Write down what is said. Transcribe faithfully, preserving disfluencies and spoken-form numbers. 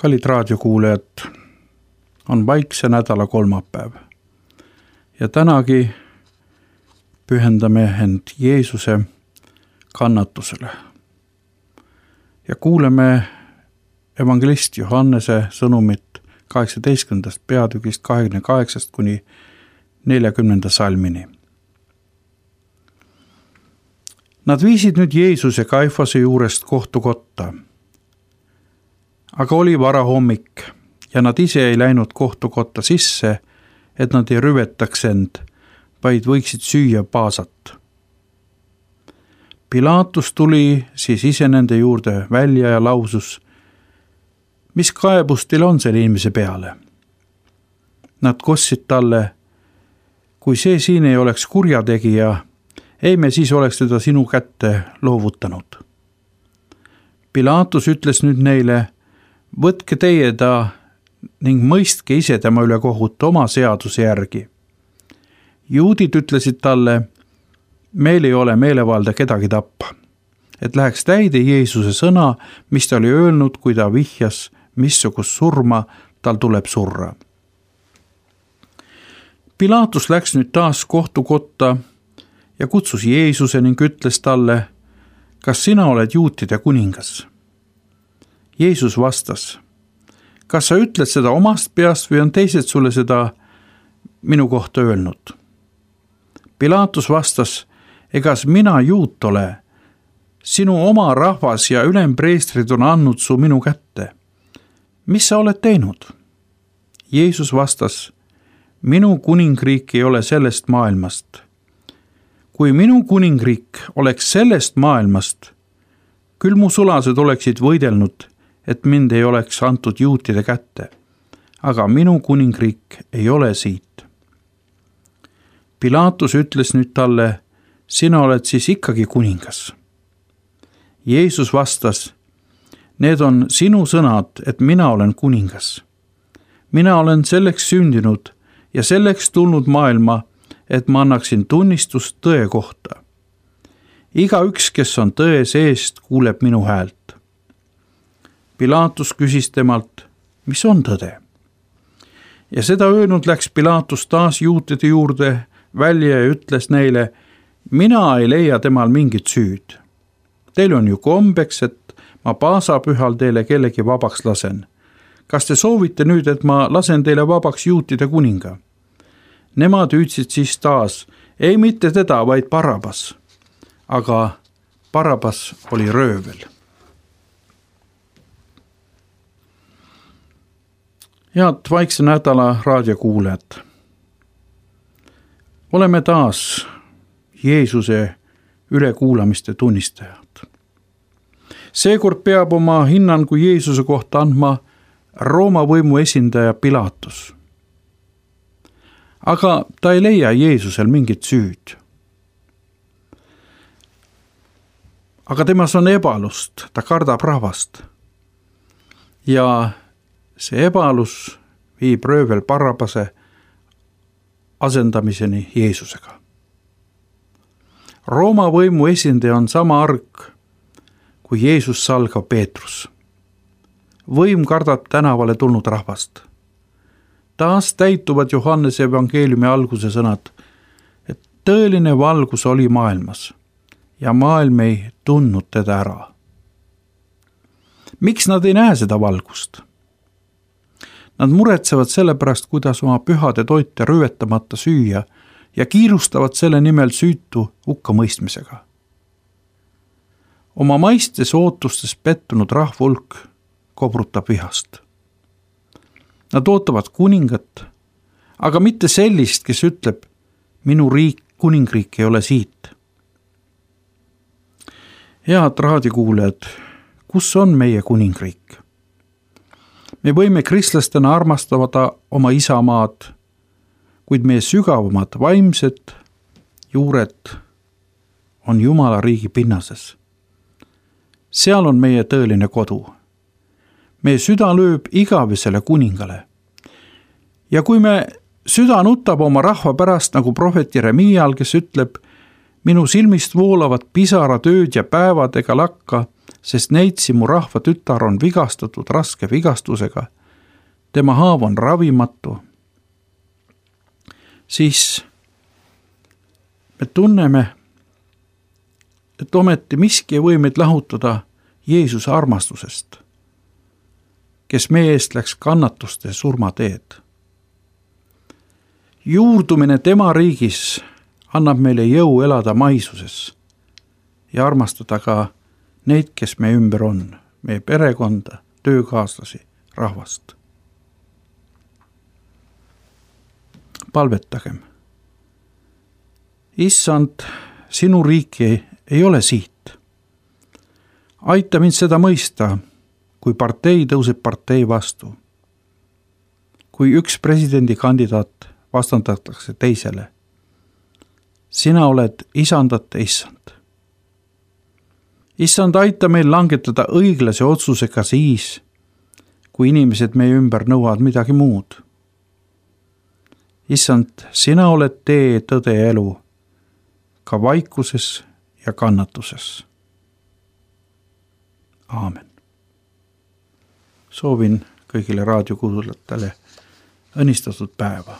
Kallid raadiokuulejad, on vaikse nädala kolmapäev ja tänagi pühendame end Jeesuse kannatusele ja kuuleme evangelist Johannese sõnumit kaheksateistkümnendast peatükist kahekümne kaheksast kuni neljakümnenda salmini. Nad viisid nüüd Jeesuse Kaifase juurest kohtukotta, aga oli varahommik ja nad ise ei läinud kohtukotta sisse, et nad ei rüvetaks end, vaid võiksid süüa paasat. Pilaatus tuli siis ise nende juurde välja ja lausus, mis kaebus teil on selle inimese peale? Nad kostsid talle, kui see siin ei oleks kurjategija, ei me siis oleks teda sinu kätte loovutanud. Pilaatus ütles nüüd neile, võtke teie ta ning mõistke ise tema üle kohut oma seaduse järgi. Juudid ütlesid talle, meil ei ole meelevalda kedagi tappa, et läheks täide Jeesuse sõna, mis ta oli öelnud, kui ta vihjas, missugust surma tal tuleb surra. Pilaatus läks nüüd taas kohtukotta ja kutsus Jeesuse ning ütles talle, kas sina oled juutide kuningas? Jeesus vastas, kas sa ütled seda omast peast või on teised sulle seda minu kohta öelnud? Pilaatus vastas, egas mina juut ole, sinu oma rahvas ja ülempreestrid on andnud su minu kätte. Mis sa oled teinud? Jeesus vastas, minu kuningriik ei ole sellest maailmast. Kui minu kuningriik oleks sellest maailmast, küll mu sulased oleksid võidelnud, et mind ei oleks antud juutide kätte, aga minu kuningriik ei ole siit. Pilaatus ütles nüüd talle, sina oled siis ikkagi kuningas. Jeesus vastas, need on sinu sõnad, et mina olen kuningas. Mina olen selleks sündinud ja selleks tulnud maailma, et ma annaksin tunnistust tõe kohta. Iga üks, kes on tõe seest, kuuleb minu häält. Pilaatus küsis temalt, mis on tõde? Ja seda öelnud läks Pilaatus taas juutide juurde välja ja ütles neile, mina ei leia temal mingit süüd. Teil on ju kombeks, et ma paasapühal teile kellegi vabaks lasen. Kas te soovite nüüd, et ma lasen teile vabaks juutide kuninga? Nemad hüüdsid siis taas, ei mitte teda, vaid Barabas. Aga Barabas oli röövel. Head vaikse nädala raadiokuulejad. Oleme taas Jeesuse ülekuulamiste tunnistajad. Seekord peab oma hinnangu Jeesuse kohta andma Rooma võimu esindaja Pilaatus. Aga ta ei leia Jeesusel mingit süüd. Aga temas on ebalust, ta kardab rahvast. Ja see ebalus viib röövel Barabase asendamiseni Jeesusega. Rooma võimu esindaja on sama arg kui Jeesus salgav Peetrus. Võim kardab tänavale tulnud rahvast. Taas täituvad Johannese evangeeliumi alguse sõnad, et tõeline valgus oli maailmas ja maailm ei tundnud teda ära. Miks nad ei näe seda valgust? Nad muretsevad selle pärast, kuidas oma pühade toite rüvetamata süüa ja kiirustavad selle nimel süütu hukkamõistmisega. Oma maistes ootustes pettunud rahvulk kobrutab vihast. Nad ootavad kuningat, aga mitte sellist, kes ütleb, minu riik, kuningriik ei ole siit. Head raadiokuulajad, kus on meie kuningriik? Me võime kristlastena armastada oma isamaad, kuid meie sügavamad vaimsed juured on Jumala riigi pinnases. Seal on meie tõeline kodu. Meie süda lööb igavesele kuningale. Ja kui me süda nutab oma rahva pärast nagu prohvet Jeremial, kes ütleb, minu silmist voolavad pisarad ööd ja päevad ega lakka, sest neitsi mu rahva tütar on vigastatud raske vigastusega, tema haav on ravimatu, siis me tunneme, et ometi miski ei või meid lahutada Jeesuse armastusest, kes meie eest läks kannatuste surma teed. Juurdumine tema riigis annab meile jõu elada maisuses ja armastada ka neid, kes meie ümber on, meie perekonda, töökaaslasi, rahvast. Palvetagem. Issand, sinu riiki ei ole siit. Aita mind seda mõista, kui partei tõuseb partei vastu. Kui üks presidendikandidaat vastandatakse teisele. Sina oled isandate issand. Issand, aita meil langetada õiglase otsusega siis, kui inimesed meie ümber nõuavad midagi muud. Issand, sina oled tee, tõde ja elu, ka vaikuses ja kannatuses. Aamen. Soovin kõigile raadiokuulajatele õnnistatud päeva.